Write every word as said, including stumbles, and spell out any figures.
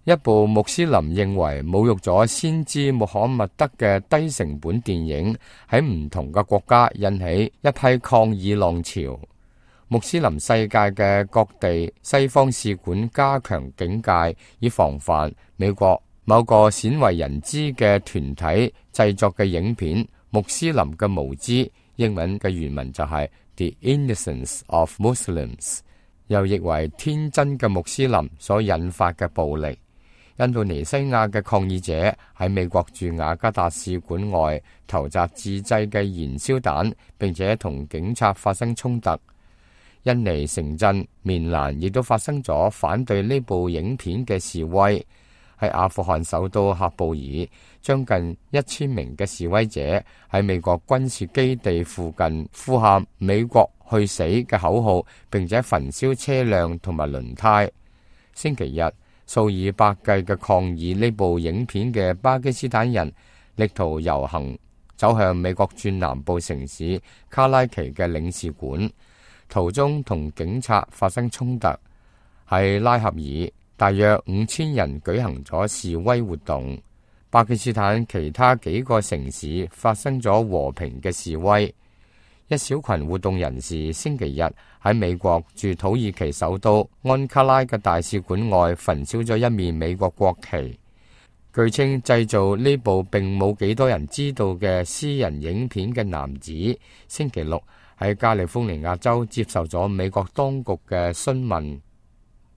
一部穆斯林認為侮辱咗先知穆罕默德嘅低成本電影喺唔同嘅國家引起一批抗議浪潮。穆斯林世界嘅各地西方使館加強警戒，以防範美國某個鮮為人知嘅團體製作嘅影片《穆斯林嘅無知》，英文嘅原文就係 The Innocence of Muslims， 又譯為天真嘅穆斯林所引發嘅暴力。印度尼西亞嘅抗議者喺美國駐雅加達使館外投擲自製嘅燃燒彈，並且同警察發生衝突。印尼城鎮棉蘭亦都發生咗反對呢部影片嘅示威。喺阿富汗首都喀布爾，將近一千名嘅示威者喺美國軍事基地附近呼喊美國去死嘅口號，並且焚燒車輛同埋輪胎。星期日，數以百計嘅抗議呢部影片嘅巴基斯坦人力圖遊行走向美國駐南部城市卡拉奇嘅領事館，途中同警察發生衝突。喺拉合爾，大約五千人舉行咗示威活動。巴基斯坦其他幾個城市發生咗和平嘅示威。一小群活動人士星期日喺美國駐土耳其首都安卡拉嘅大使館外焚燒咗一面美國國旗。據稱製造呢部並冇幾多人知道嘅私人影片嘅男子，星期六喺加利福尼亞州接受咗美國當局嘅詢問。